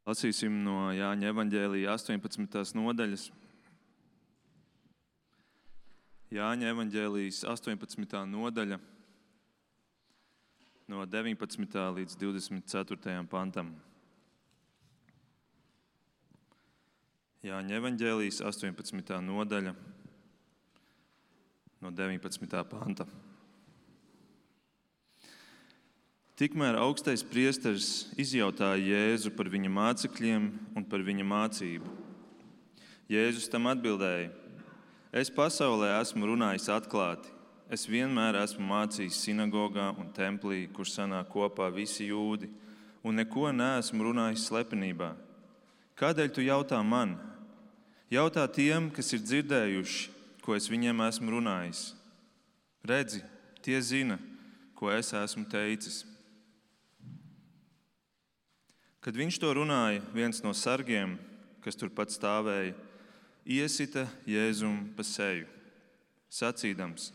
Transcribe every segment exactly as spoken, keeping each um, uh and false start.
Lasīsim no Jāņa evaņģēlija astoņpadsmitās nodaļas. Jāņa evaņģēlijas astoņpadsmitā nodaļa no deviņpadsmitā līdz divdesmit ceturtajam pantam. Jāņa evaņģēlijas astoņpadsmitā nodaļa no deviņpadsmitā panta. Tikmēr augstais priesteris izjautāja Jēzu par viņa mācekļiem un par viņa mācību. Jēzus tam atbildēja: Es pasaulē esmu runājis atklāti. Es vienmēr esmu mācījis sinagogā un templī, kur sanāk kopā visi jūdi, un neko neesmu runājis slepenībā. Kādēļ tu jautā man? Jautā tiem, kas ir dzirdējuši, ko es viņiem esmu runājis. Redzi, tie zina, ko es esmu teicis. Kad viņš to runāja, viens no sargiem, kas turpat stāvēja, iesita Jēzum pa seju, sacīdams: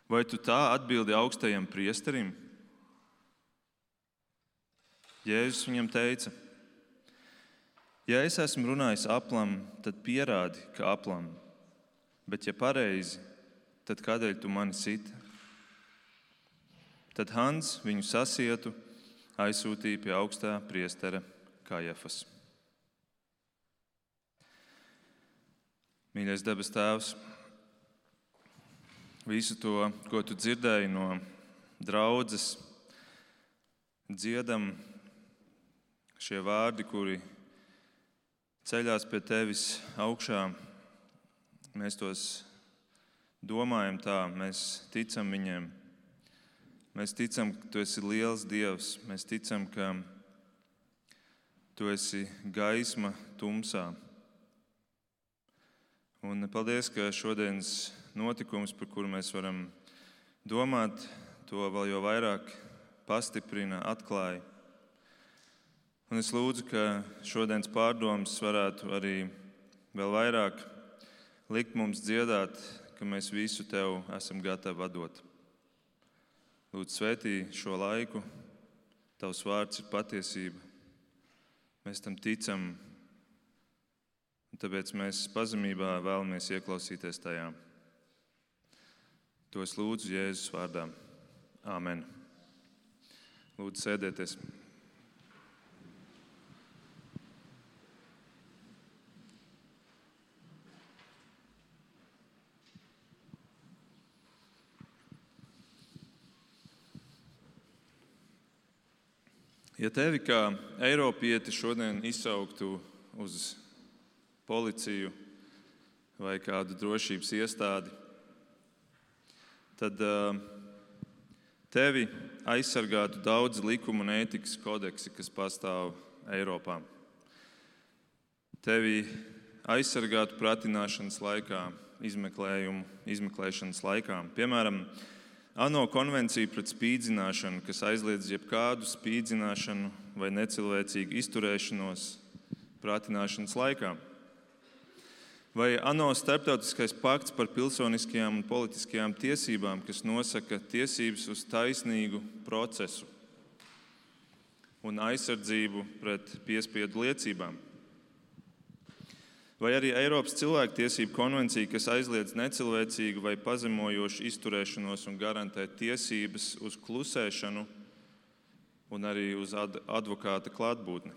Vai tu tā atbildi augstajam priesterim? Jēzus viņam teica: Ja es esmu runājis aplam, tad pierādi, ka aplam, bet ja pareizi, tad kādēļ tu mani siti? Tad Hans viņu sasietu aizsūtīja pie augstā priestera Kajafas. Mīļais debes Tēvs, visu to, ko tu dzirdēji no draudzes, dziedam šie vārdi, kuri ceļās pie tevis augšā, mēs tos domājam tā, mēs ticam viņiem. Mēs ticam, ka tu esi liels Dievs. Mēs ticam, ka tu esi gaisma tumsā. Un paldies, ka šodienas notikums, par kuru mēs varam domāt, to vēl jau vairāk pastiprina, atklāja. Un es lūdzu, ka šodienas pārdomas varētu arī vēl vairāk likt mums dziedāt, ka mēs visu tev esam gatavi atdot. Lūdzu, svētī šo laiku, tavs vārds ir patiesība. Mēs tam ticam, un tāpēc mēs pazemībā vēlamies ieklausīties tajā. To es lūdzu Jēzus vārdā. Āmen. Lūdzu, sēdieties. Ja tevi kā eiropieti šodien izsauktu uz policiju vai kādu drošības iestādi, tad uh, tevi aizsargātu daudz likumu un ētikas kodeksi, kas pastāv Eiropā. Tevi aizsargātu pratināšanas laikā, izmeklējumu, izmeklēšanas laikā. Piemēram, ANO konvencija pret spīdzināšanu, kas aizliedz jebkādu spīdzināšanu vai necilvēcīgu izturēšanos pratināšanas laikā. Vai ANO starptautiskais pakts par pilsoniskajām un politiskajām tiesībām, kas nosaka tiesības uz taisnīgu procesu un aizsardzību pret piespiedu liecībām. Vai arī Eiropas cilvēktiesību konvencija, kas aizliedz necilvēcīgu vai pazemojošu izturēšanos un garantē tiesības uz klusēšanu un arī uz ad- advokāta klātbūtni.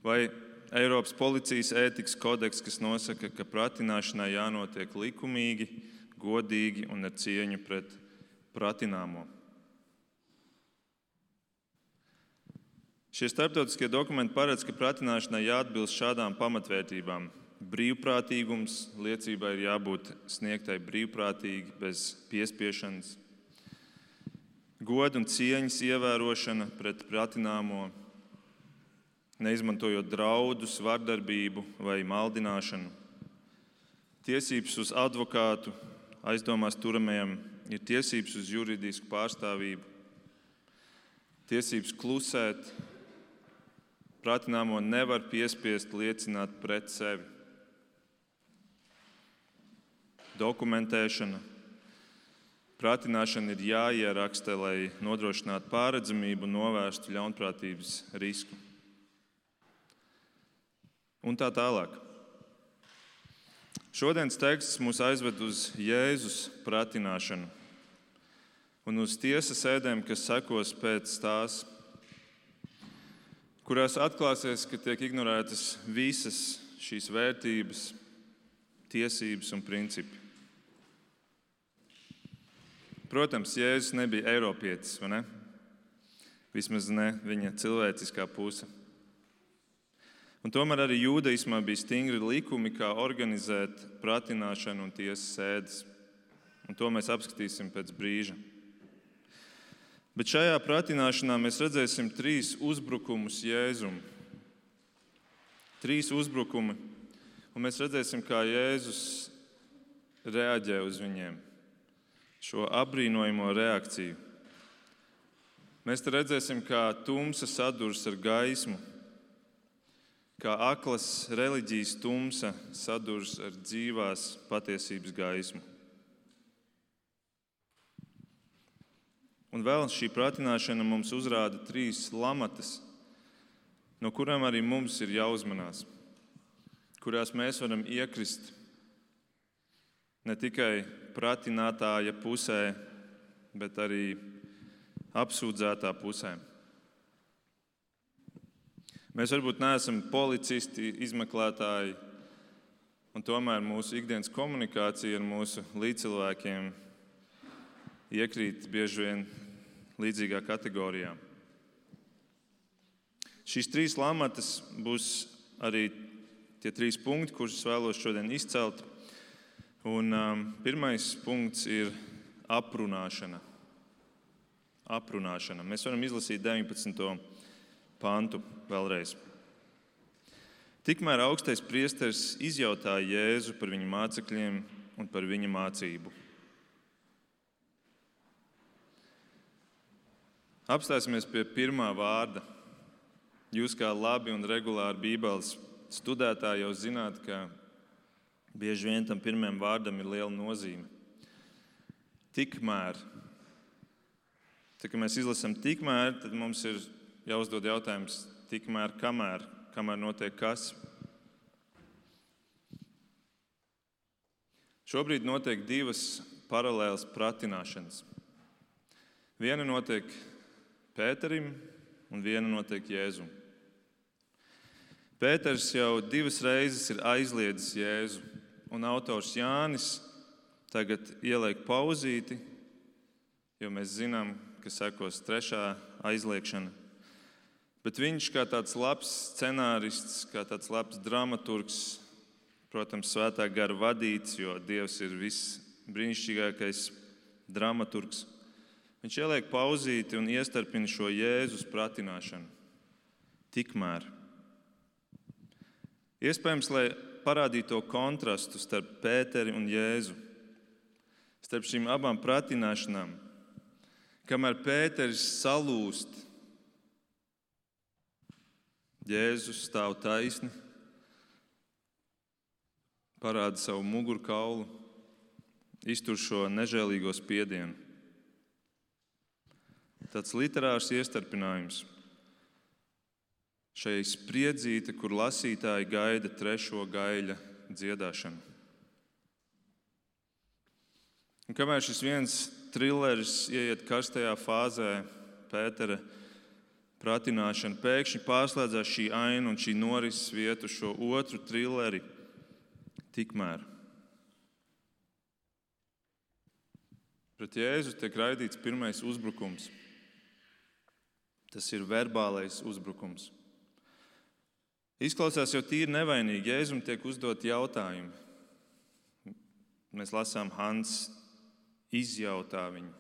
Vai Eiropas policijas ētikas kodeks, kas nosaka, ka pratināšanai jānotiek likumīgi, godīgi un ar cieņu pret pratināmo. Šie starptautiskie dokumenti paredz, ka pratināšanai jāatbilst šādām pamatvērtībām. Brīvprātīgums, liecībai ir jābūt sniegtai brīvprātīgi, bez piespiešanas. Goda un cieņas ievērošana pret pratināmo, neizmantojot draudus, vardarbību vai maldināšanu. Tiesības uz advokātu, aizdomās turamajam ir tiesības uz juridisku pārstāvību. Tiesības klusēt. Pratināmo nevar piespiest liecināt pret sevi. Dokumentēšana. Pratināšana ir jāieraksta, lai nodrošinātu pārredzamību un novērstu ļaunprātības risku. Un tā tālāk. Šodienas teksts mūs aizved uz Jēzus pratināšanu un uz tiesas sēdēm, kas sekos pēc tās, kurās atklāsies, ka tiek ignorētas visas šīs vērtības, tiesības un principi. Protams, Jēzus nebija eiropietis, vai ne? Vismaz ne viņa cilvēciskā puse. Un tomēr arī jūdaismā bija stingri likumi, kā organizēt pratināšanu un tiesas sēdes. Un to mēs apskatīsim pēc brīža. Bet šajā pratināšanā mēs redzēsim trīs uzbrukumus Jēzum. Trīs uzbrukumi, un mēs redzēsim, kā Jēzus reaģē uz viņiem. Šo apbrīnojamo reakciju. Mēs te redzēsim, kā tumsa sadurs ar gaismu, kā aklas reliģijas tumsa sadurs ar dzīvās patiesības gaismu. Un vēl šī pratināšana mums uzrāda trīs lamatas, no kurām arī mums ir jāuzmanās, kurās mēs varam iekrist ne tikai pratinātāja pusē, bet arī apsūdzētā pusē. Mēs varbūt neesam policisti, izmeklētāji, un tomēr mūsu ikdienas komunikācija ar mūsu līdzcilvēkiem iekrīt bieži vien līdzīgā kategorijā. Šīs trīs lamatas būs arī tie trīs punkti, kurus es vēlos šodien izcelt. Un um, pirmais punkts ir aprunāšana. Aprunāšana. Mēs varam izlasīt deviņpadsmito pantu vēlreiz. Tikmēr augstais priesteris izjautāja Jēzu par viņa mācekļiem un par viņa mācību. Apstāsimies pie pirmā vārda. Jūs kā labi un regulāri Bībeles studētāji jau zināt, ka bieži vien tam pirmajam vārdam ir liela nozīme. Tikmēr. Tad, kad mēs izlasām tikmēr, tad mums ir jāuzdod jautājums, tikmēr, kamēr, kamēr notiek kas. Šobrīd notiek divas paralēlas pratināšanas. Viena notiek Pēterim un viena notiek Jēzum. Pēters jau divas reizes ir aizliedzis Jēzu, un autors Jānis tagad ieliek pauzīti, jo mēs zinām, ka sekos trešā aizliekšana. Bet viņš kā tāds labs scenārists, kā tāds labs dramaturgs, protams, svētā gara vadīts, jo Dievs ir viss brīnišķīgākais dramaturgs. Viņš ieliek pauzīti un iestarpina šo Jēzus pratināšanu. Tikmēr. Iespējams, lai parādītu to kontrastu starp Pēteri un Jēzu, starp šīm abām pratināšanām, kamēr Pēteris salūst, Jēzus stāv taisni, parāda savu mugurkaulu, iztur šo nežēlīgo spiedienu. Tāds literārs iestarpinājums šai spriedzīte, kur lasītāji gaida trešo gaļa dziedāšanu. Un kamēr šis viens trilleris ieiet karstajā fāzē, Pētera pratināšana, pēkšņi pārslēdzās šī aina un šī norises vieta uz šo otru trilleri tikmēr. Pret Jēzu tiek raidīts pirmais uzbrukums. Tas ir verbālais uzbrukums. Izklausās jau tīri nevainīgi. Jēzum tiek uzdot jautājumi. Mēs lasām, Hans izjautā viņu.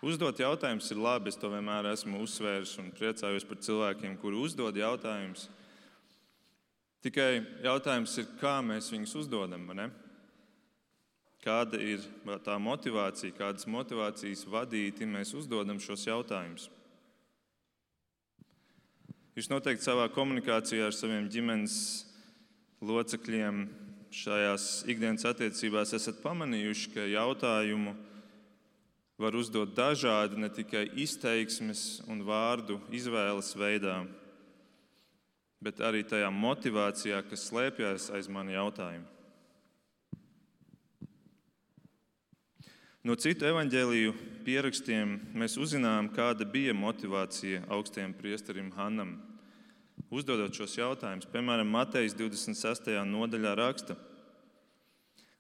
Uzdot jautājumus ir labi. Es to vienmēr esmu uzsvērs un priecājos par cilvēkiem, kuri uzdod jautājumus. Tikai jautājums ir, kā mēs viņus uzdodam, vai ne? Kāda ir tā motivācija, kādas motivācijas vadīti mēs uzdodam šos jautājumus? Jūs noteikti savā komunikācijā ar saviem ģimenes locekļiem šajās ikdienas attiecībās esat pamanījuši, ka jautājumu var uzdot dažādi, ne tikai izteiksmes un vārdu izvēles veidā, bet arī tajā motivācijā, kas slēpjas aiz mani jautājumu. No citu evaņģēliju pierakstiem mēs uzzinām, kāda bija motivācija augstajam priesterim Hannam, uzdodot šos jautājumus. Piemēram, Matejas divdesmit sestajā nodaļā raksta: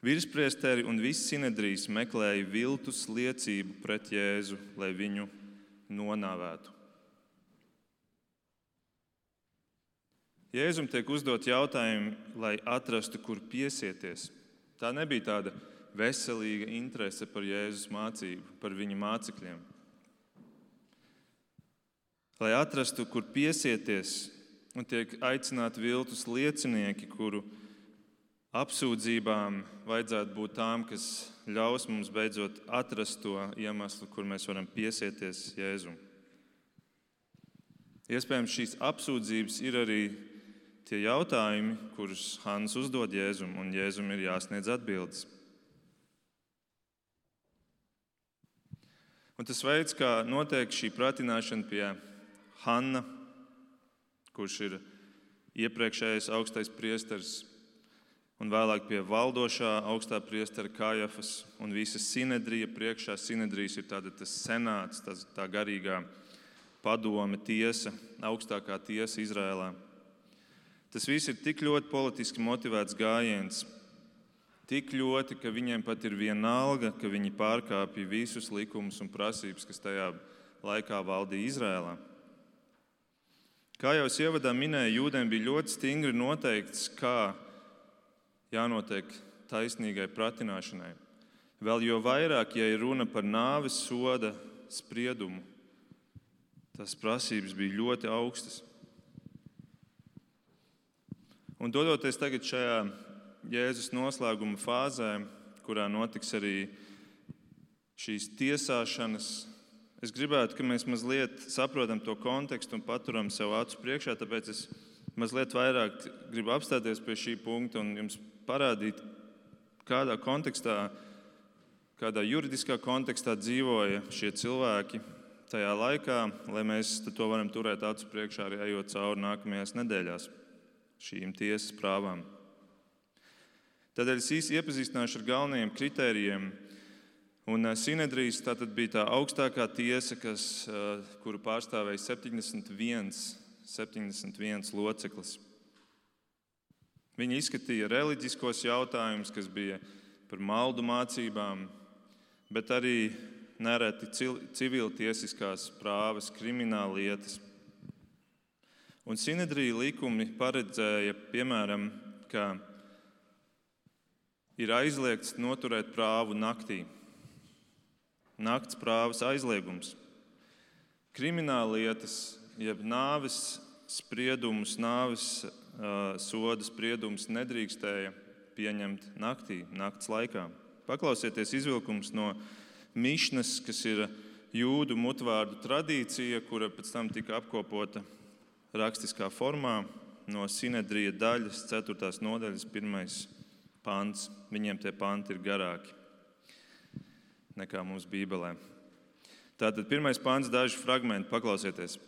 Virspriesteri un viss sinedrijs meklēja viltus liecību pret Jēzu, lai viņu nonāvētu. Jēzum tiek uzdot jautājumi, lai atrastu, kur piesieties. Tā nebija tāda veselīga interese par Jēzus mācību, par viņa mācekļiem. Lai atrastu, kur piesieties, un tiek aicināti viltus liecinieki, kuru apsūdzībām vajadzētu būt tām, kas ļaus mums beidzot atrast to iemeslu, kur mēs varam piesieties Jēzum. Iespējams, šīs apsūdzības ir arī tie jautājumi, kurus Hanns uzdod Jēzum, un Jēzum ir jāsniedz atbildes. Un tas veids, kā notiek šī pratināšana pie Hanna, kurš ir iepriekšējais augstais priesteris, un vēlāk pie valdošā augstā priestera Kājafas un visa sinedrija priekšā. Sinedrijs ir tāda, tas senāts, tas, tā garīgā padome, tiesa, augstākā tiesa Izrēlā. Tas viss ir tik ļoti politiski motivēts gājiens, tik ļoti, ka viņiem pat ir vienalga, ka viņi pārkāpja visus likumus un prasības, kas tajā laikā valdīja Izrēlā. Kā jau es ievadā minēju, jūdiem bija ļoti stingri noteikts, kā jānotiek taisnīgai pratināšanai. Vēl jo vairāk, ja ir runa par nāves soda spriedumu, tas prasības bija ļoti augstas. Un dodoties tagad šajā Jēzus noslēguma fāzē, kurā notiks arī šīs tiesāšanas, es gribētu, ka mēs mazliet saprotam to kontekstu un paturam sev acu priekšā, tāpēc es mazliet vairāk gribu apstāties pie šī punkta un jums parādīt, kādā kontekstā, kādā juridiskā kontekstā dzīvoja šie cilvēki tajā laikā, lai mēs to varam turēt acu priekšā arī ejot cauri nākamajās nedēļās šīm tiesas prāvām. Tādēļ es īsi iepazīstināšu ar galvenajiem kritērijiem. Un sinedrijs tātad bija tā augstākā tiesa, kas, kuru pārstāvēja septiņdesmit viens, septiņdesmit viens loceklis. Viņi izskatīja reliģiskos jautājumus, kas bija par maldu mācībām, bet arī nereti civiltiesiskās prāvas, krimināla lietas. Un sinedrija likumi paredzēja, piemēram, ka ir aizliegts noturēt prāvu naktī. Nakts prāvas aizliegums. Krimināla lietas, jeb nāves spriedumus, nāves uh, soda spriedumus nedrīkstēja pieņemt naktī, nakts laikā. Paklausieties izvilkums no Mišnas, kas ir jūdu mutvārdu tradīcija, kura pēc tam tika apkopota rakstiskā formā no sinedrija daļas, ceturtās nodaļas, pirmais pants. Viņiem tie panti ir garāki nekā mums Bībelē. Tātad pirmais pants, daži fragmenti, paklausieties.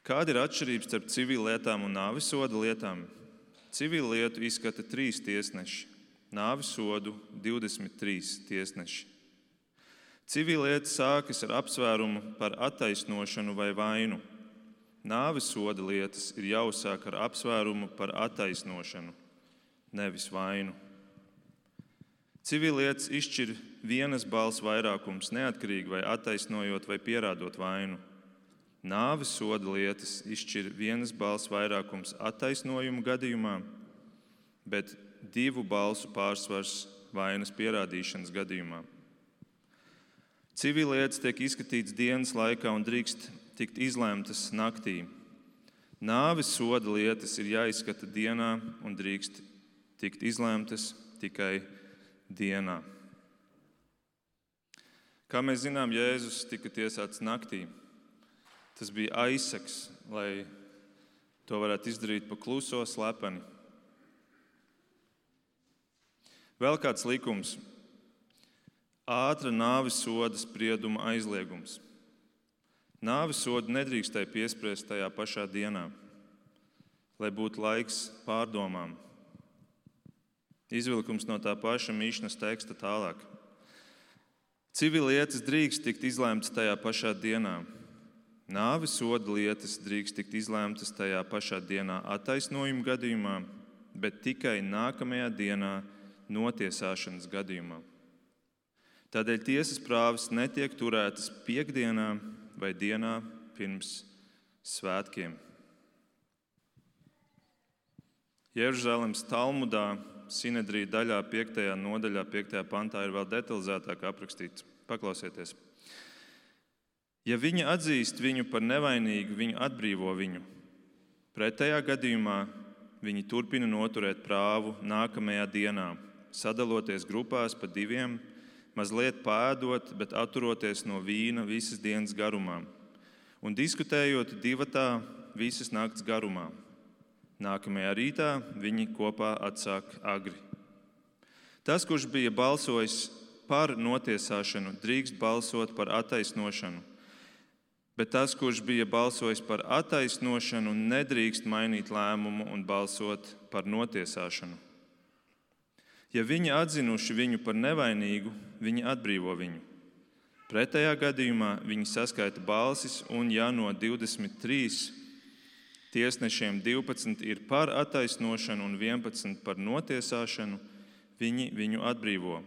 Kāda ir atšķirība starp civillietām un nāvisoda lietām? Civillietu izskata trīs tiesneši, nāvisodu divdesmit trīs tiesneši. Civillieta sākas ar apsvērumu par attaisnošanu vai vainu. Nāvisoda lietas ir jāuzsāk ar apsvērumu par attaisnošanu, nevis vainu. Civillietas izšķir vienas balss vairākums, neatkarīgi vai attaisnojot vai pierādot vainu. Nāvisoda lietas izšķir vienas balss vairākums attaisnojumu gadījumā, bet divu balsu pārsvars vainas pierādīšanas gadījumā. Civillietas tiek izskatītas dienas laikā un drīkst tikt izlēmtas naktī. Nāves soda lietas ir jāizskata dienā un drīkst tikt izlēmtas tikai dienā. Kā mēs zinām, Jēzus tika tiesāts naktī. Tas bija aizseks, lai to varētu izdarīt pa kluso, slepeni. Vēl kāds likums - ātra nāves soda sprieduma aizliegums. Nāves sodu nedrīkstēja piespriest tajā pašā dienā, lai būtu laiks pārdomām. Izvilkums no tā paša Mišnas teksta tālāk. Civilietas drīkst tikt izlēmtas tajā pašā dienā. Nāves soda lietas drīkst tikt izlēmtas tajā pašā dienā attaisnojuma gadījumā, bet tikai nākamajā dienā notiesāšanas gadījumā. Tādēļ tiesas prāvas netiek turētas piektdienā vai dienā pirms svētkiem. Jeruzalemes Talmudā, Sinedrija daļā, piektajā nodaļā, piektajā pantā ir vēl detalizētāk aprakstīts. Paklausieties. Ja viņi atzīst viņu par nevainīgu, viņu atbrīvo viņu. Pretējā gadījumā viņi turpina noturēt prāvu nākamajā dienā, sadaloties grupās pa diviem, mazliet pēdot, bet atturoties no vīna visas dienas garumā un diskutējot divatā visas nakts garumā. Nākamajā rītā viņi kopā atsāk agri. Tas, kurš bija balsojis par notiesāšanu, drīkst balsot par attaisnošanu, bet tas, kurš bija balsojis par attaisnošanu, nedrīkst mainīt lēmumu un balsot par notiesāšanu. Ja viņi atzinuši viņu par nevainīgu, viņi atbrīvo viņu. Pretējā gadījumā viņi saskaita balsis, un ja no divdesmit trīs tiesnešiem divpadsmit ir par attaisnošanu un vienpadsmit par notiesāšanu, viņi viņu atbrīvo.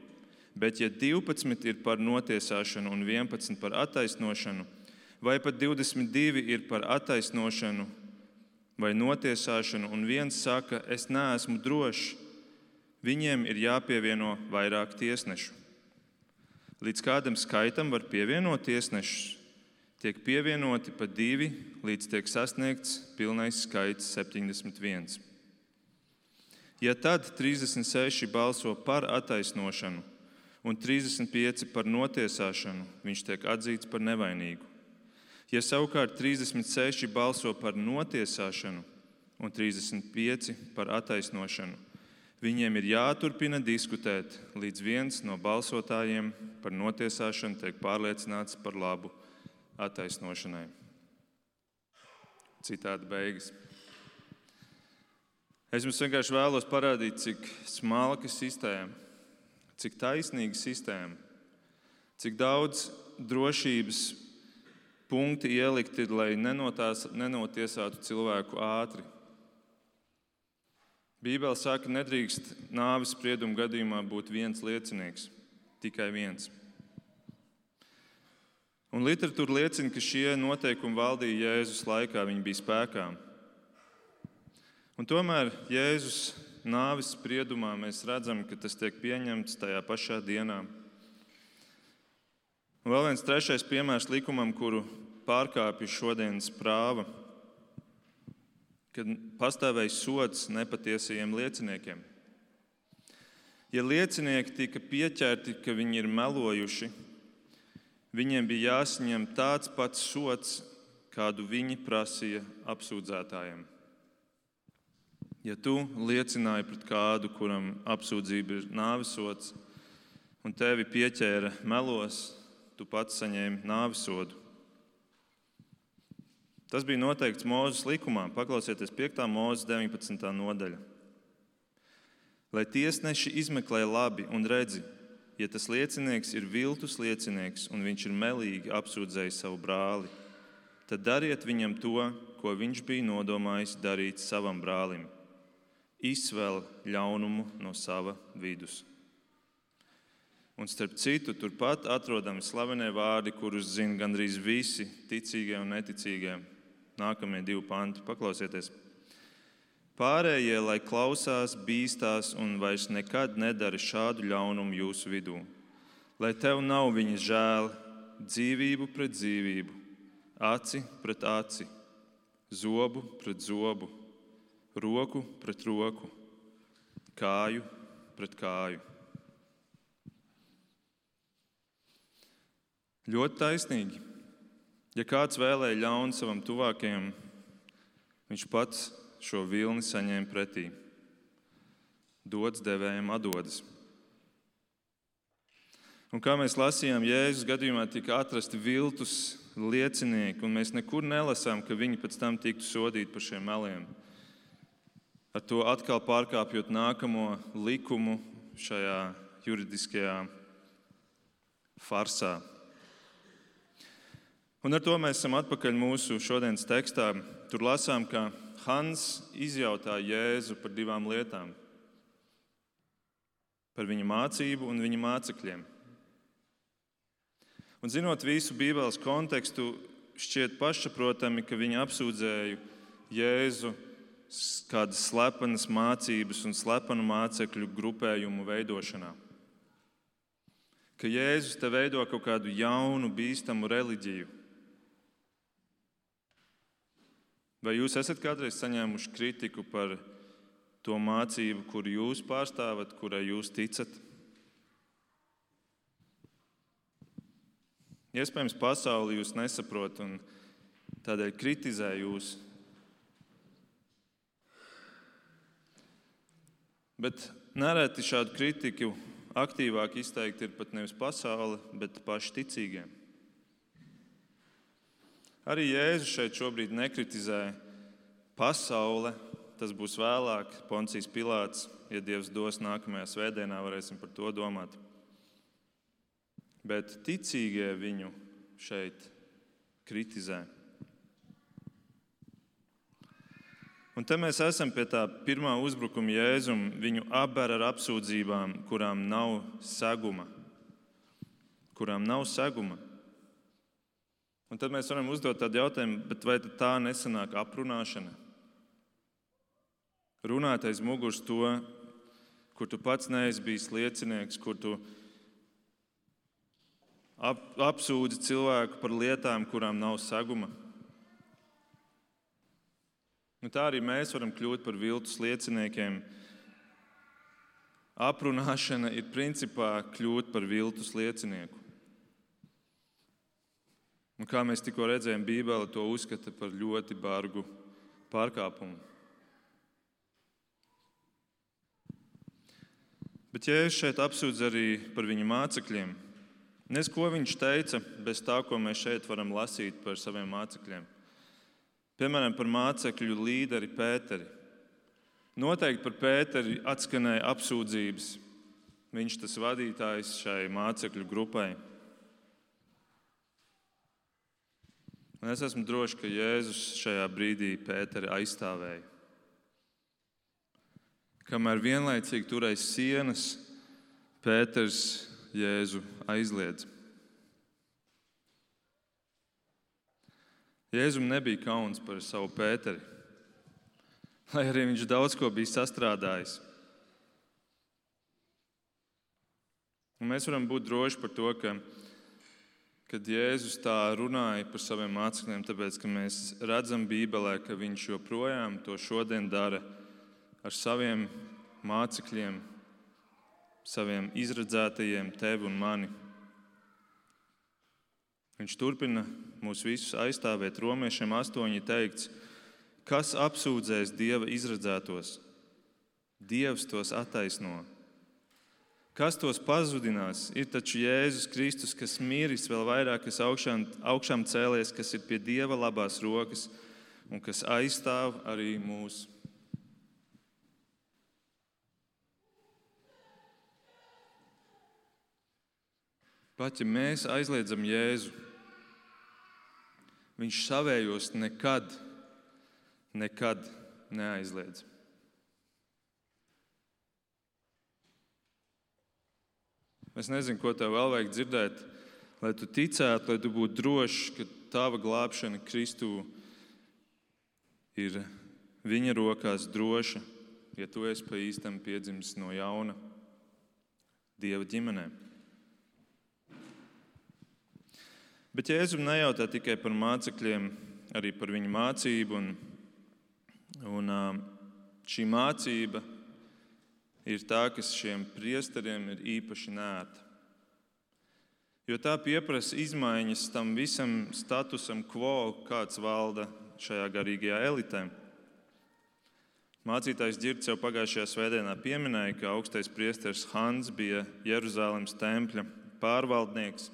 Bet ja divpadsmit ir par notiesāšanu un vienpadsmit par attaisnošanu, vai pat divdesmit divi ir par attaisnošanu vai notiesāšanu, un viens saka, es neesmu drošs, viņiem ir jāpievieno vairāk tiesnešu. Līdz kādam skaitam var pievienot tiesnešus, tiek pievienoti pa divi, līdz tiek sasniegts pilnais skaits septiņdesmit viens. Ja tad trīsdesmit seši balso par attaisnošanu un trīsdesmit pieci par notiesāšanu, viņš tiek atzīts par nevainīgu. Ja savukārt trīsdesmit seši balso par notiesāšanu un trīsdesmit pieci par attaisnošanu, viņiem ir jāturpina diskutēt, līdz viens no balsotājiem par notiesāšanu tiek pārliecināts par labu attaisnošanai. Citāta beigas. Es jums vienkārši vēlos parādīt, cik smalka sistēma, cik taisnīga sistēma, cik daudz drošības punkti ielikti, lai nenotās, nenotiesātu cilvēku ātri. Bībele saka, nedrīkst nāves sprieduma gadījumā būt viens liecinieks, tikai viens. Un literatūra liecina, ka šie noteikumi valdīja Jēzus laikā, viņi bija spēkā. Un tomēr Jēzus nāves spriedumā mēs redzam, ka tas tiek pieņemts tajā pašā dienā. Un vēl viens trešais piemērs likumam, kuru pārkāpja šodienas prāva, kad pastāvēja sods nepatiesajiem lieciniekiem. Ja liecinieki tika pieķerti, ka viņi ir melojuši, viņiem bija jāsaņem tāds pats sods, kādu viņi prasīja apsūdzētājiem. Ja tu liecināji pret kādu, kuram apsūdzība ir nāvesods, un tevi pieķēra melos, tu pats saņēmi nāvesodu. Tas bija noteikts Mūzes likumā. Paklausieties piektā Mūzes deviņpadsmitā nodaļa. Lai tiesneši izmeklē labi un redzi, ja tas liecinieks ir viltus liecinieks un viņš ir melīgi apsūdzējis savu brāli, tad dariet viņam to, ko viņš bija nodomājis darīt savam brālim. Izsvēl ļaunumu no sava vidus. Un starp citu, turpat atrodami slavenie vārdi, kurus zina gandrīz visi ticīgie un neticīgie. Nākamie divi panti, paklausieties. Pārējie, lai klausās, bīstās un vairs nekad nedara šādu ļaunumu jūsu vidū. Lai tev nav viņa žēl, dzīvību pret dzīvību, aci pret aci, zobu pret zobu, roku pret roku, kāju pret kāju. Ļoti taisnīgi. Ja kāds vēlēja ļaunu savam tuvākajam, viņš pats šo vilni saņēma pretī. Dots devējam atdodas. Un kā mēs lasījām, Jēzus gadījumā tika atrasti viltus liecinieki, un mēs nekur nelasām, ka viņi pēc tam tiktu sodīti par šiem meliem. Ar to atkal pārkāpjot nākamo likumu šajā juridiskajā farsā. Un ar to mēs esam atpakaļ mūsu šodienas tekstā. Tur lasām, ka Hans izjautā Jēzu par divām lietām. Par viņa mācību un viņa mācekļiem. Un zinot visu Bībeles kontekstu, šķiet pašsaprotami, ka viņi apsūdzēja Jēzu kādas slepenas mācības un slepenu mācekļu grupējumu veidošanā. Ka Jēzus te veido kaut kādu jaunu, bīstamu reliģiju. Vai jūs esat kādreiz saņēmuši kritiku par to mācību, kuru jūs pārstāvat, kurai jūs ticat? Iespējams, pasauli jūs nesaprot un tādēļ kritizē jūs. Bet nereti šādu kritiku aktīvāk izteikti ir pat nevis pasaule, bet paši ticīgie. Arī Jēzus šeit šobrīd nekritizē pasaule. Tas būs vēlāk, Poncijs Pilāts, ja Dievs dos nākamajā svētdienā, varēsim par to domāt. Bet ticīgie viņu šeit kritizē. Un te mēs esam pie tā pirmā uzbrukuma Jēzum. Viņu apber ar apsūdzībām, kurām nav seguma. Kurām nav seguma. Un tad mēs varam uzdot tādu jautājumu, bet vai tā nesanāk aprunāšana? Runāt aiz muguras to, kur tu pats neesi bijis liecinieks, kur tu ap, apsūdzi cilvēku par lietām, kurām nav seguma. Un tā arī mēs varam kļūt par viltus lieciniekiem. Aprunāšana ir principā kļūt par viltus liecinieku. Un kā mēs tikko redzējām, Bībele to uzskata par ļoti bargu pārkāpumu. Bet Jēzus šeit apsūdz arī par viņa mācekļiem. Nes, ko viņš teica, bez tā, ko mēs šeit varam lasīt par saviem mācekļiem. Piemēram, par mācekļu līderi Pēteri. Noteikti par Pēteri atskanēja apsūdzības. Viņš tas vadītājs šai mācekļu grupai. Un es esmu drošs, ka Jēzus šajā brīdī Pēteri aizstāvēja. Kamēr vienlaicīgi turēja sienas, Pēters Jēzu aizliedz. Jēzum nebija kauns par savu Pēteri, lai arī viņš daudz ko bija sastrādājis. Un mēs varam būt droši par to, ka, kad Jēzus tā runāja par saviem mācekļiem, tāpēc, ka mēs redzam Bībelē, ka viņš joprojām to šodien dara ar saviem mācekļiem, saviem izredzētajiem, tevi un mani. Viņš turpina mūs visus aizstāvēt. Romiešiem astoņi teikts, kas apsūdzēs Dieva izredzētos? Dievs tos attaisno. Kas tos pazudinās? Ir taču Jēzus Kristus, kas miris, vēl vairāk, kas augšām, augšām cēlies, kas ir pie Dieva labās rokas un kas aizstāv arī mūs. Pat ja mēs aizliedzam Jēzu, viņš savējos nekad, nekad neaizliedz. Es nezinu, ko tev vēl vajag dzirdēt, lai tu ticētu, lai tu būtu drošs, ka tava glābšana Kristū ir viņa rokās droša, ja tu esi pa īstam piedzimis no jauna Dieva ģimenē. Bet Jēzum nejautā tikai par mācekļiem, arī par viņu mācību. Un, un šī mācība ir tā, kas šiem priesteriem ir īpaši neērta. Jo tā pieprasa izmaiņas tam visam statusam quo, kāds valda šajā garīgajā elitē. Mācītājs Ģirds jau pagājušajā svētdienā pieminēja, ka augstais priesteris Hans bija Jeruzalemes tempļa pārvaldnieks.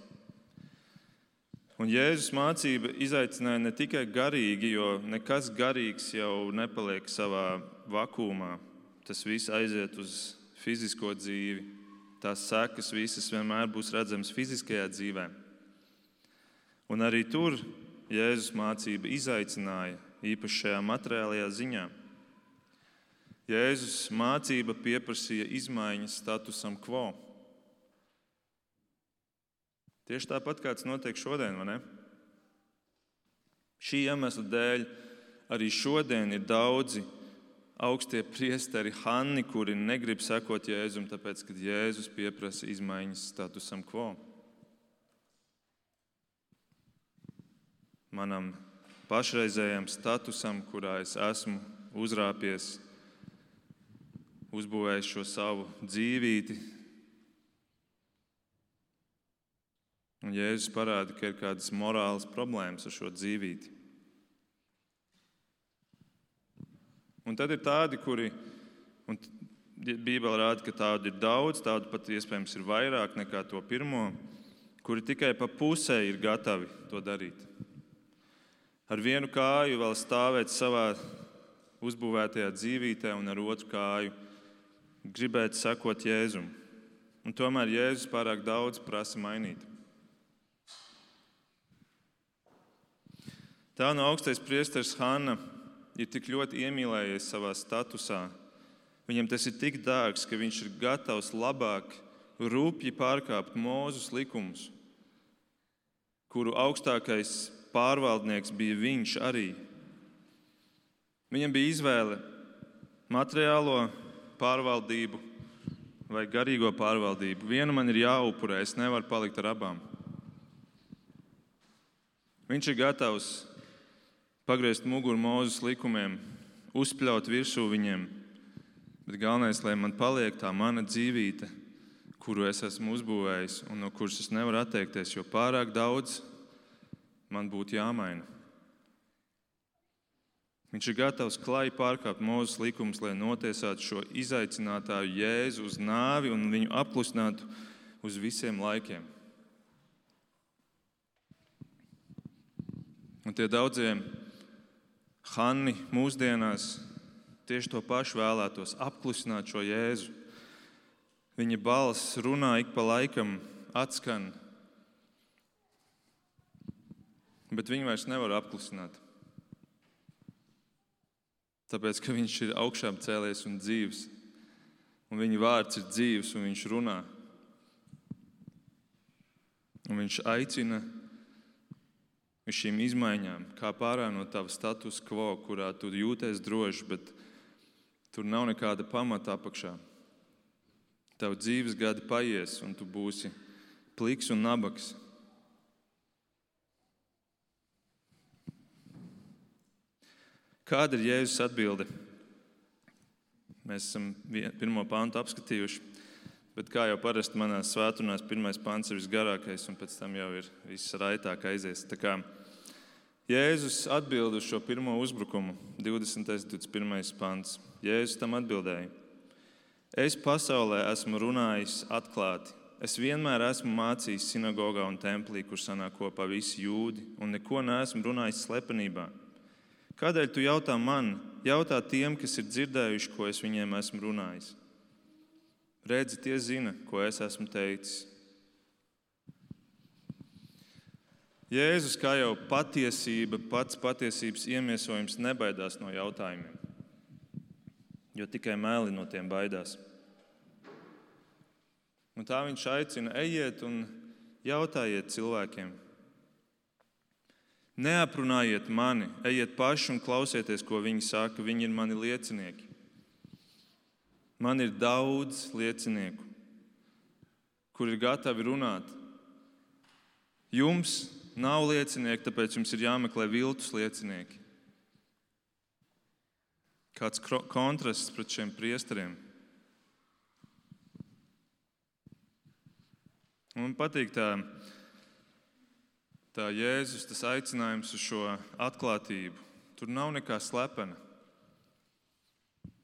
Un Jēzus mācība izaicināja ne tikai garīgi, jo nekas garīgs jau nepaliek savā vakumā. Tas viss aiziet uz fizisko dzīvi. Tās sekas visas vienmēr būs redzamas fiziskajā dzīvē. Un arī tur Jēzus mācība izaicināja, īpaši šajā materiālajā ziņā. Jēzus mācība pieprasīja izmaiņas statusam quo. Tieši tāpat kāds notiek šodien, vai ne? Šī iemesla dēļ arī šodien ir daudzi augstie priesteri Hanni, kuri negrib sekot Jēzum, tāpēc, kad Jēzus pieprasa izmaiņas statusam quo. Manam pašreizējam statusam, kurā es esmu uzrāpies, uzbūvējis šo savu dzīvīti. Un Jēzus parāda, ka ir kādas morālas problēmas ar šo dzīvīti. Un tad ir tādi, kuri, un Bībele rāda, ka tādu ir daudz, tādu pat iespējams ir vairāk nekā to pirmo, kuri tikai pa pusē ir gatavi to darīt. Ar vienu kāju vēl stāvēt savā uzbūvētajā dzīvītē un ar otru kāju gribēt sekot Jēzum. Un tomēr Jēzus pārāk daudz prasa mainīt. Tā no augstais priesteris Hanna ir tik ļoti iemīlējies savā statusā. Viņam tas ir tik dārgs, ka viņš ir gatavs labāk rūpji pārkāpt Mūzes likumus, kuru augstākais pārvaldnieks bija viņš arī. Viņam bija izvēle materiālo pārvaldību vai garīgo pārvaldību. Viena man ir jāupurē, es nevaru palikt ar abām. Viņš ir gatavs pagriezt muguru Mūzes likumiem, uzpļaut virsū viņiem, bet galvenais, lai man paliek tā mana dzīvīte, kuru es esmu uzbūvējis un no kuras es nevaru atteikties, jo pārāk daudz man būtu jāmaina. Viņš ir gatavs klāji pārkāpt Mūzes likumus, lai notiesātu šo izaicinātāju Jēzu uz nāvi un viņu apklusinātu uz visiem laikiem. Un tie daudzie Hanni mūsdienās tieši to pašu vēlētos apklusināt šo Jēzu. Viņa balss runā ik pa laikam, atskan, bet viņu vairs nevar apklusināt. Tāpēc, ka viņš ir augšām cēlies un dzīvs, un viņa vārds ir dzīvs, un viņš runā. Un viņš aicina uz šīm izmaiņām, kā pārā no tava status quo, kurā tu jūties droši, bet tur nav nekāda pamata apakšā. Tavu dzīves gadi paies, un tu būsi pliks un nabaks. Kāda ir Jēzus atbilde? Mēs esam pirmo pantu apskatījuši, bet kā jau parasti manās svētdienās, pirmais pants ir visgarākais, un pēc tam jau ir viss raitāk aizies. Tā kā Jēzus atbild uz šo pirmo uzbrukumu, divdesmitais, divdesmit pirmais pants. Jēzus tam atbildēja: Es pasaulē esmu runājis atklāti. Es vienmēr esmu mācījis sinagogā un templī, kur sanāk kopā visi jūdi, un neko neesmu runājis slepenībā. Kādēļ tu jautā man? Jautā tiem, kas ir dzirdējuši, ko es viņiem esmu runājis. Redzi, tie zina, ko es esmu teicis. Jēzus, kā jau patiesība, pats patiesības iemiesojums, nebaidās no jautājumiem, jo tikai meli no tiem baidās. Un tā viņš aicina: ejiet un jautājiet cilvēkiem. Neaprunājiet mani, ejiet paši un klausieties, ko viņi saka. Viņi ir mani liecinieki. Man ir daudz liecinieku, kuri ir gatavi runāt. Jums nav liecinieki, tāpēc jums ir jāmeklē viltus liecinieki. Kāds kontrasts pret šiem priesteriem. Man patīk tā, tā Jēzus, tas aicinājums uz šo atklātību. Tur nav nekā slepena.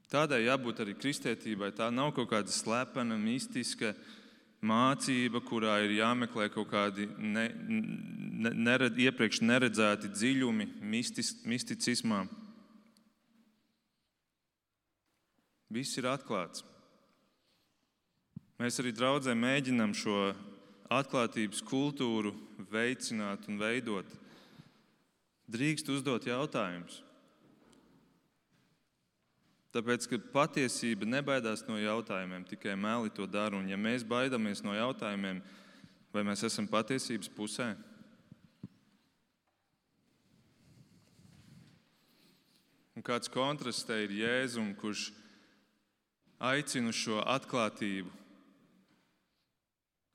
Tādai jābūt arī kristietībai. Tā nav kaut kāda slepena, mistiska mācība, kurā ir jāmeklē kaut kādi ne, ne, nered, iepriekš neredzēti dziļumi mistis, misticismā. Viss ir atklāts. Mēs arī draudzē mēģinām šo atklātības kultūru veicināt un veidot. Drīkst uzdot jautājumus. Tāpēc, ka patiesība nebaidās no jautājumiem, tikai meli to dara. Un ja mēs baidamies no jautājumiem, vai mēs esam patiesības pusē? Un kāds kontrasts te ir Jēzum, kurš aicina uz šo atklātību,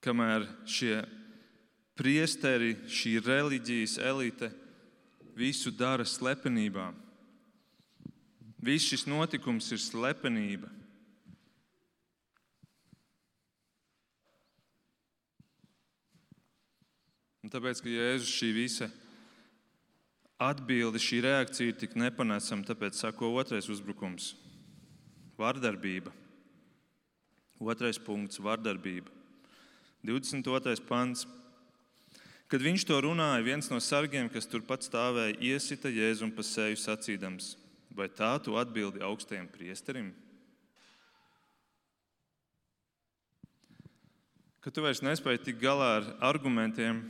kamēr šie priesteri, šī reliģijas elite visu dara slepenībā. Viss šis notikums ir slepenība. Un tāpēc, ka Jēzus šī visa atbilde, šī reakcija ir tik nepanesama, tāpēc sako otrais uzbrukums – vardarbība. Otrais punkts – vardarbība. divdesmit otrais pants. Kad viņš to runāja, viens no sargiem, kas turpat stāvēja, iesita Jēzum pa seju sacīdams: vai tā tu atbildi augstajam priesterim? Kad tu vairs nespēji tikt galā ar argumentiem,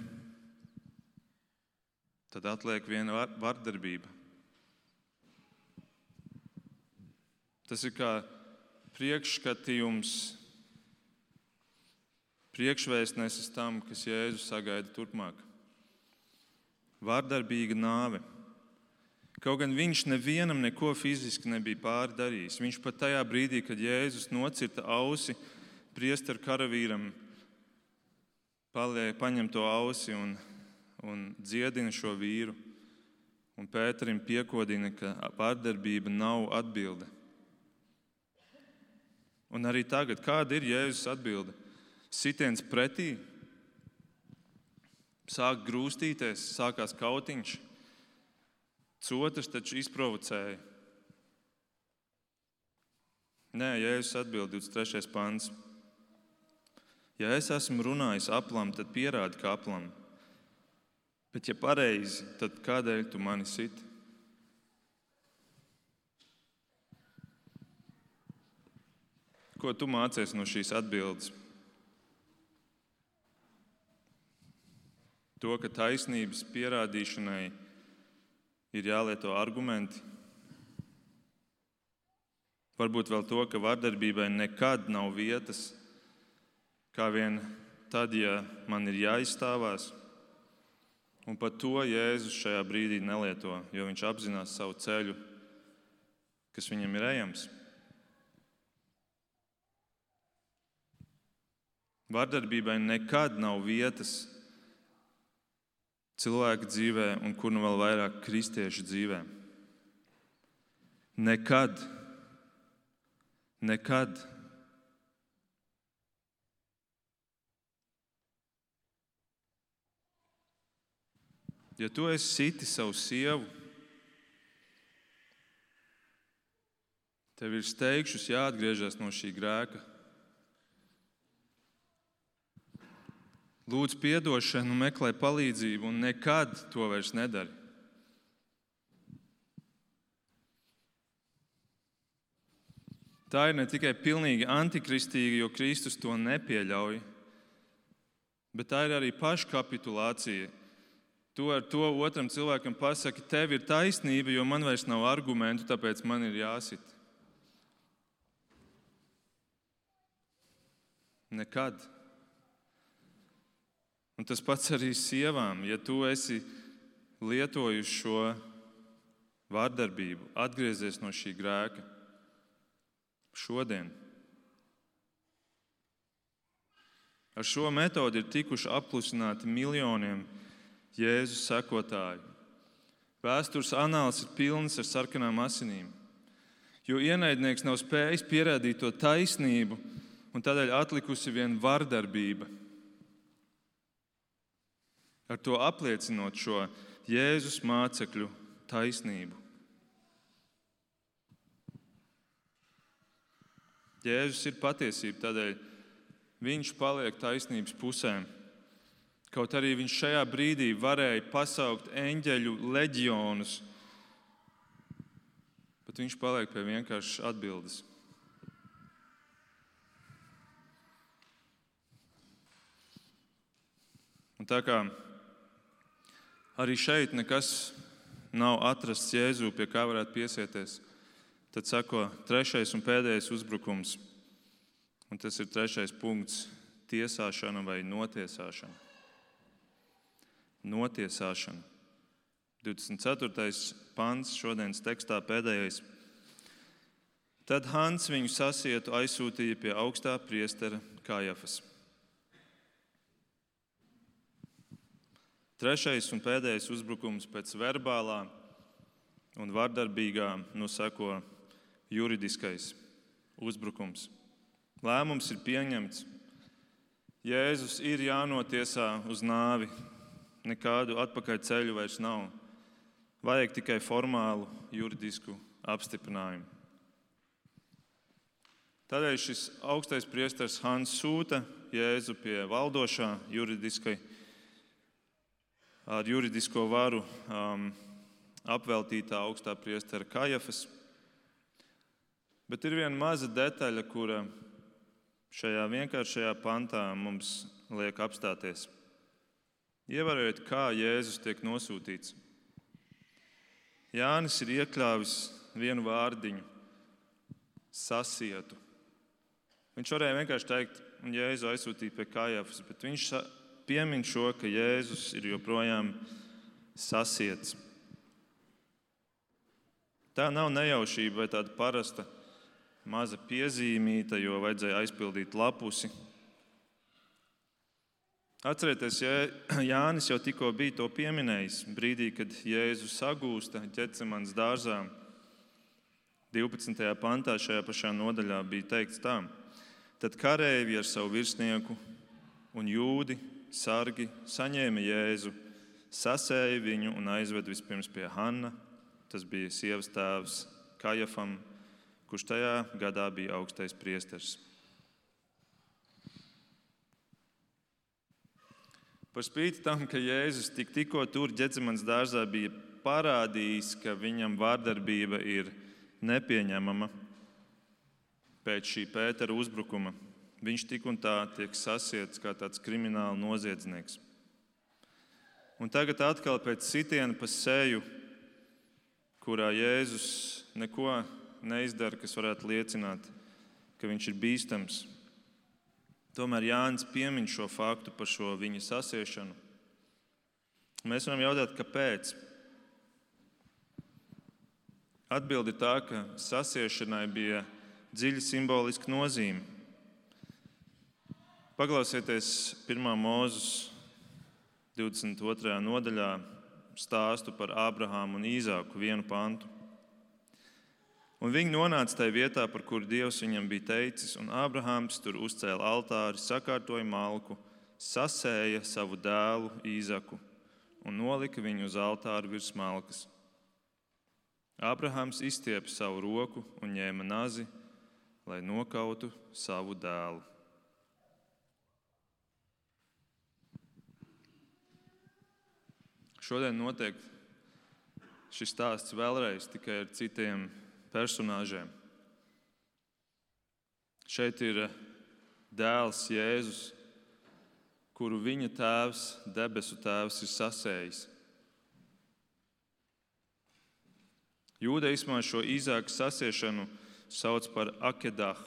tad atliek viena vardarbība. Tas ir kā priekšskatījums, priekšvēstnesis tam, kas Jēzus sagaida turpmāk. Vardarbīga nāve. Kaut gan viņš nevienam neko fiziski nebija pāri darījis. Viņš pat tajā brīdī, kad Jēzus nocirta ausi priesteru karavīram, paliek, paņem to ausi un, un dziedina šo vīru. Un Pēterim piekodina, ka vardarbība nav atbilde. Un arī tagad, kāda ir Jēzus atbilde? Sitiens pretī, sāk grūstīties, sākās kautiņš. Otrs taču izprovocēja. Nē, Jēzus atbild divdesmit trešais pants. Ja es esmu runājis aplam, tad pierādi, ka aplam. Bet ja pareizi, tad kādēļ tu mani siti? Ko tu mācies no šīs atbildes? To, ka taisnības pierādīšanai ir jālieto argumenti. Varbūt vēl to, ka vardarbībai nekad nav vietas, kā vien tad, ja man ir jāizstāvās. Un pat to Jēzus šajā brīdī nelieto, jo viņš apzinās savu ceļu, kas viņam ir ejams. Vardarbībai nekad nav vietas cilvēka dzīvē, un kur nu vēl vairāk kristiešu dzīvē. Nekad. Nekad. Ja tu esi siti savu sievu, tev ir steigšus jāatgriežas no šī grēka. Lūdz piedošanu, meklē palīdzību un nekad to vairs nedari. Tā ir ne tikai pilnīgi antikristīga, jo Kristus to nepieļauj, bet tā ir arī paškapitulācija. Tu ar to otram cilvēkam pasaki, tev ir taisnība, jo man vairs nav argumentu, tāpēc man ir jāsit. Nekad. Un tas pats arī sievām. Ja tu esi lietojuši šo vardarbību, atgriezies no šī grēka šodien. Ar šo metodi ir tikuši apklusināti miljoniem Jēzus sekotāju. Vēstures anāls ir pilns ar sarkanām asinīm, jo ienaidnieks nav spējis pierādīt to taisnību, un tādēļ atlikusi vien vardarbība. Ar to apliecinot šo Jēzus mācekļu taisnību. Jēzus ir patiesība, tādēļ viņš paliek taisnības pusē. Kaut arī viņš šajā brīdī varēja pasaukt eņģeļu leģionus, bet viņš paliek pie vienkāršas atbildes. Un tā kā arī šeit nekas nav atrasts Jēzu, pie kā varētu piesieties, tad sako trešais un pēdējais uzbrukums. Un tas ir trešais punkts – tiesāšana vai notiesāšana. Notiesāšana. divdesmit ceturtais pants šodienas tekstā pēdējais. Tad Hans viņu sasietu aizsūtīja pie augstā priestera Kajafas. Trešais un pēdējais uzbrukums pēc verbālā un vardarbīgā nu seko juridiskais uzbrukums. Lēmums ir pieņemts. Jēzus ir jānotiesā uz nāvi. Nekādu atpakaļ ceļu vairs nav. Vajag tikai formālu juridisku apstiprinājumu. Tādēļ šis augstais priesteris Hans sūta Jēzu pie valdošā juridiskai, ar juridisko varu um, apveltītā augstā priestera Kajafas. Bet ir viena maza detaļa, kura šajā vienkāršajā pantā mums liek apstāties. Ievērojiet, kā Jēzus tiek nosūtīts. Jānis ir iekļāvis vienu vārdiņu – sasietu. Viņš varēja vienkārši teikt, un Jēzu aizsūtīja pie Kajafas, bet viņš piemin šo, ka Jēzus ir joprojām sasiets. Tā nav nejaušība vai tāda parasta maza piezīmīta, jo vajadzēja aizpildīt lapusi. Atcerieties, Jānis jau tikko bija to pieminējis brīdī, kad Jēzus sagūsta Ģetsemanes dārzā. divpadsmitajā pantā šajā pašā nodaļā bija teikts tā. Tad kareivji ar savu virsnieku un jūdi, sargi saņēma Jēzu, sasēja viņu un aizved vispirms pie Hanna, tas bija sievas tēvs Kajafam, kurš tajā gadā bija augstais priesteris. Par spīti tam, ka Jēzus tik tikko tur Ģetsemanes dārzā bija parādījis, ka viņam vārdarbība ir nepieņemama pēc šī Pētera uzbrukuma, viņš tik un tā tiek sasiets kā tāds krimināla noziedznieks. Un tagad atkal pēc sitiena pa seju, kurā Jēzus neko neizdara, kas varētu liecināt, ka viņš ir bīstams. Tomēr Jānis piemin šo faktu par šo viņa sasiešanu. Mēs varam jautāt, kāpēc? Atbilde ir tā, ka sasiešanai bija dziļa simboliska nozīme. Paklausieties pirmā Mūzes divdesmit otrajā nodaļā stāstu par Ābrahāmu un Īzāku vienu pantu. Un viņi nonāca tajā vietā, par kuru Dievs viņam bija teicis, un Ābrahāms tur uzcēla altāri, sakārtoja malku, sasēja savu dēlu Īzaku un nolika viņu uz altāru virs malkas. Ābrahāms izstiepa savu roku un ņēma nazi, lai nokautu savu dēlu. Šodien notiek šis stāsts vēlreiz tikai ar citiem personāžiem. Šeit ir dēls Jēzus, kuru viņa tēvs, debesu tēvs, ir sasējis. Jūdaismā šo Īzāka sasiešanu sauc par akedah.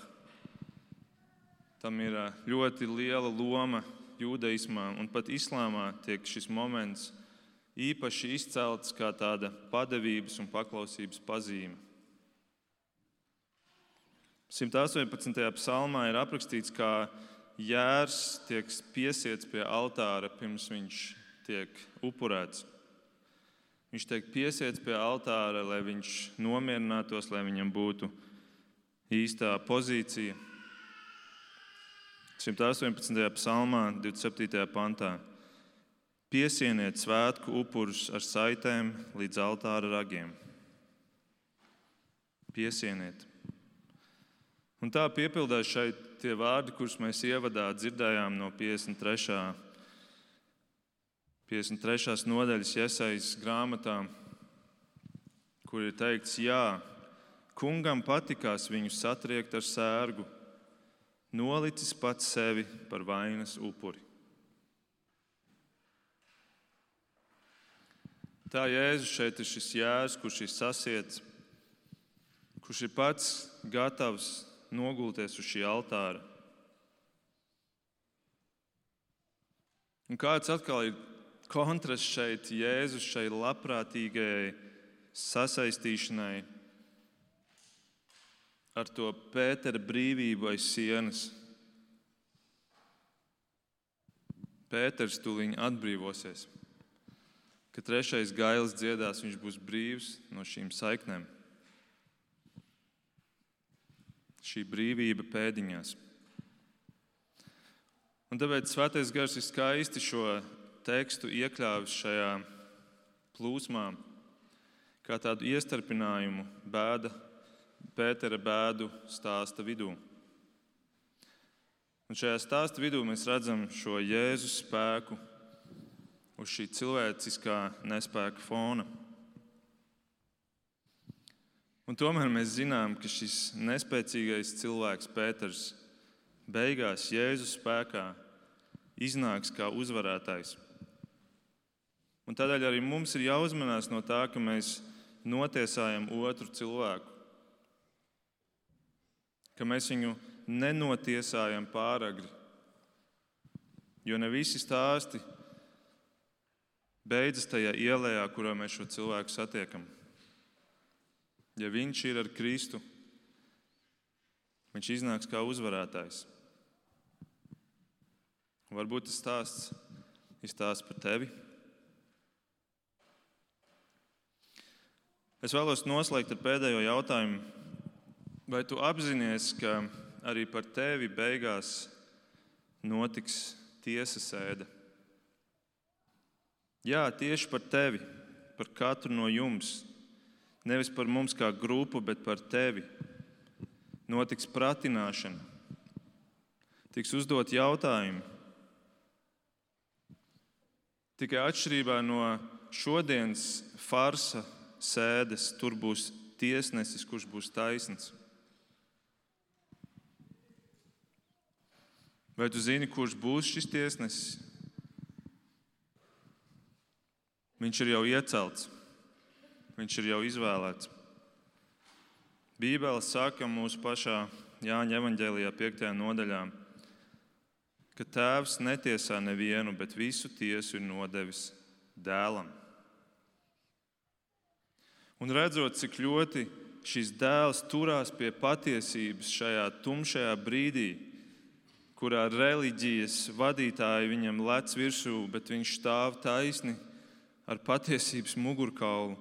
Tam ir ļoti liela loma jūdaismā, un pat islāmā tiek šis moments īpaši izcelts kā tāda padevības un paklausības pazīme. simt astoņpadsmitajā psalmā ir aprakstīts, kā jērs tiek piesiets pie altāra, pirms viņš tiek upurēts. Viņš tiek piesiets pie altāra, lai viņš nomierinātos, lai viņam būtu īstā pozīcija. simt astoņpadsmitajā psalmā, divdesmit septītajā pantā. Piesieniet svētku upurus ar saitēm līdz altāra ragiem. Piesieniet. Un Un tā piepildās šeit tie vārdi, kurus mēs ievadā dzirdējām no piecdesmit trešā piecdesmit trešās nodaļas Jesajas grāmatā, kur ir teikts, jā, kungam patikās viņu satriekt ar sērgu, nolicis pats sevi par vainas upuri. Tā Jēzus šeit ir šis jērs, kurš ir sasiets, kurš ir pats gatavs nogulties uz šī altāra. Un kāds atkal ir kontrasts šeit Jēzus šai labprātīgajai sasaistīšanai ar to Pētera brīvību aiz sienas. Pēters tūliņ atbrīvosies. Kad trešais gailis dziedās, viņš būs brīvs no šīm saiknēm. Šī brīvība pēdiņās. Un tāpēc Svētais Gars ir skaisti šo tekstu iekļāvis šajā plūsmā, kā tādu iestarpinājumu bēda, Pētera bēdu stāsta vidū. Un šajā stāsta vidū mēs redzam šo Jēzus spēku uz šī cilvēciskā nespēka fona. Un tomēr mēs zinām, ka šis nespēcīgais cilvēks Pēters beigās Jēzus spēkā iznāks kā uzvarētājs. Un tādēļ arī mums ir jāuzmanās no tā, ka mēs notiesājam otru cilvēku. Ka mēs viņu nenotiesājam pāragri. Jo ne visi stāsti beidzas tajā ielējā, kurā mēs šo cilvēku satiekam. Ja viņš ir ar Kristu, viņš iznāks kā uzvarētājs. Varbūt tas stāsts ir stāsts par tevi. Es vēlos noslēgt ar pēdējo jautājumu. Vai tu apzinies, ka arī par tevi beigās notiks tiesas sēde? Jā, tieši par tevi, par katru no jums. Nevis par mums kā grupu, bet par tevi. Notiks pratināšana. Tiks uzdot jautājumi. Tikai atšķirībā no šodienas farsa sēdes, tur būs tiesnesis, kurš būs taisns. Vai tu zini, kurš būs šis tiesnesis? Viņš ir jau iecelts. Viņš ir jau izvēlēts. Bībele saka mūsu pašā Jāņa evaņģēlijā piektajā nodaļā, ka Tēvs netiesā nevienu, bet visu tiesu ir nodevis Dēlam. Un redzot, cik ļoti šis dēls turās pie patiesības šajā tumšajā brīdī, kurā reliģijas vadītāji viņam lec virsū, bet viņš stāv taisni ar patiesības mugurkaulu.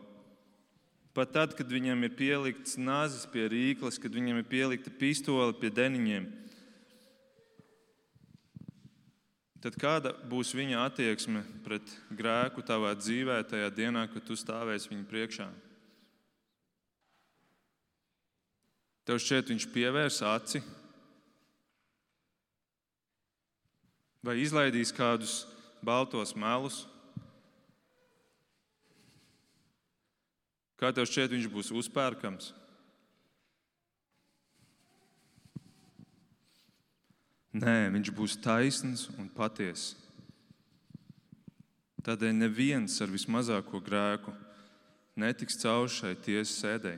Pat tad, kad viņam ir pielikts nazis pie rīkles, kad viņam ir pielikta pistole pie deniņiem, tad kāda būs viņa attieksme pret grēku tavā dzīvē tajā dienā, kad tu stāvēsi viņa priekšā? Tev šķiet, viņš pievērs aci? Vai izlaidīs kādus baltos melus? Kā tev šķiet, viņš būs uzpērkams? Nē, viņš būs taisns un patiess. Tādēļ neviens ar vismazāko grēku netiks cauri šai tiesas sēdei.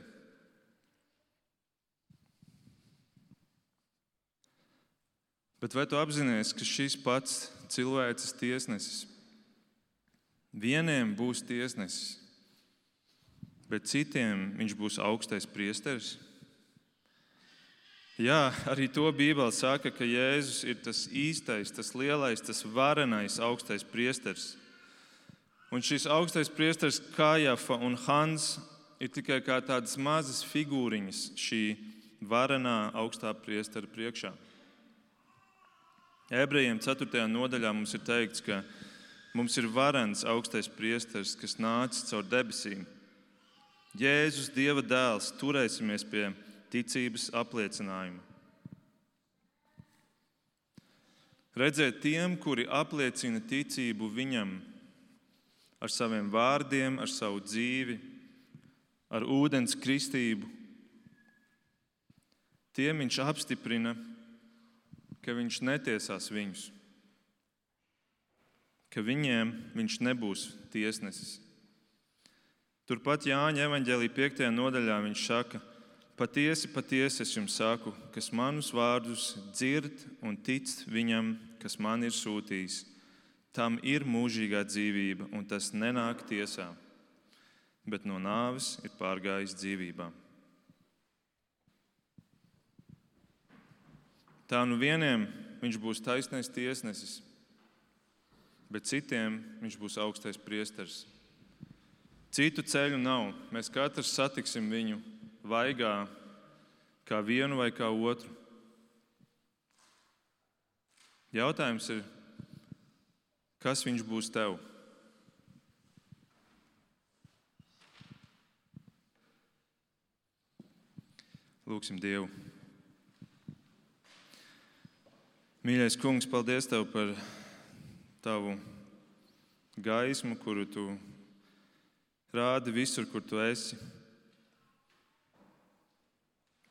Bet vai tu apzinies, ka šis pats cilvēces tiesnesis vieniem būs tiesnesis, bet citiem viņš būs augstais priesteris? Jā, arī to Bībele saka, ka Jēzus ir tas īstais, tas lielais, tas varenais augstais priesteris. Un šis augstais priesteris Kājafa un Hans ir tikai kā tādas mazas figūriņas šī varenā augstā priestera priekšā. Ebrejiem ceturtajā nodaļā mums ir teikts, ka mums ir varens augstais priesteris, kas nācis caur debesīm. Jēzus, Dieva dēls, turēsimies pie ticības apliecinājuma. Redzēt tiem, kuri apliecina ticību viņam ar saviem vārdiem, ar savu dzīvi, ar ūdens kristību. Tiem viņš apstiprina, ka viņš netiesās viņus, ka viņiem viņš nebūs tiesnesis. Turpat Jāņa evaņģēlija piektajā nodaļā viņš saka: Patiesi, patiesi es jums saku, kas manus vārdus dzird un tic viņam, kas man ir sūtījis, tam ir mūžīgā dzīvība, un tas nenāk tiesā, bet no nāves ir pārgājis dzīvībā. Tā nu vieniem viņš būs taisnais tiesnesis, bet citiem viņš būs augstais priesteris. Citu ceļu nav. Mēs katrs satiksim viņu vaigā, kā vienu vai kā otru. Jautājums ir, kas viņš būs tev? Lūksim Dievu. Mīļais Kungs, paldies Tev par Tavu gaismu, kuru Tu rādi visur, kur Tu esi.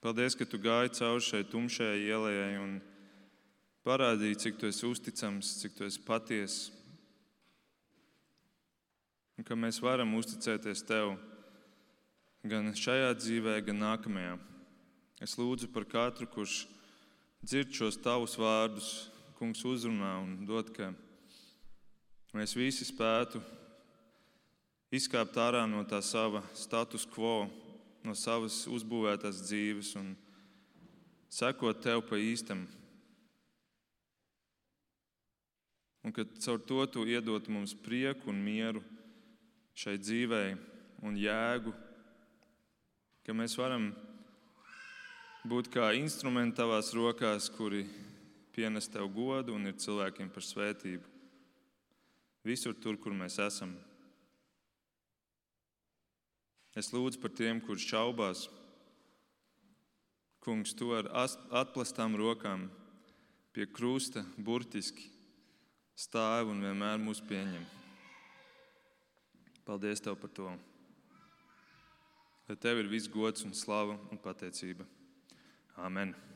Paldies, ka Tu gāji cauri šai tumšajai ielai un parādīji, cik Tu esi uzticams, cik Tu esi patiess. Un ka mēs varam uzticēties Tev gan šajā dzīvē, gan nākamajā. Es lūdzu par katru, kurš dzird šos Tavus vārdus, Kungs, uzrunā un dod, ka mēs visi spētu izkāpt ārā no tā sava status quo, no savas uzbūvētās dzīves un sekot Tev pa īstam. Un ka caur to Tu iedot mums prieku un mieru šai dzīvei un jēgu, ka mēs varam būt kā instrumenti Tavās rokās, kuri pienes Tev godu un ir cilvēkiem par svētību. Visur tur, kur mēs esam. Es lūdzu par tiem, kurš šaubās. Kungs, Tu ar atplastām rokām pie krusta burtiski stāv un vienmēr mūs pieņem. Paldies Tev par to. Lai Tev ir viss gods un slava un pateicība. Amen.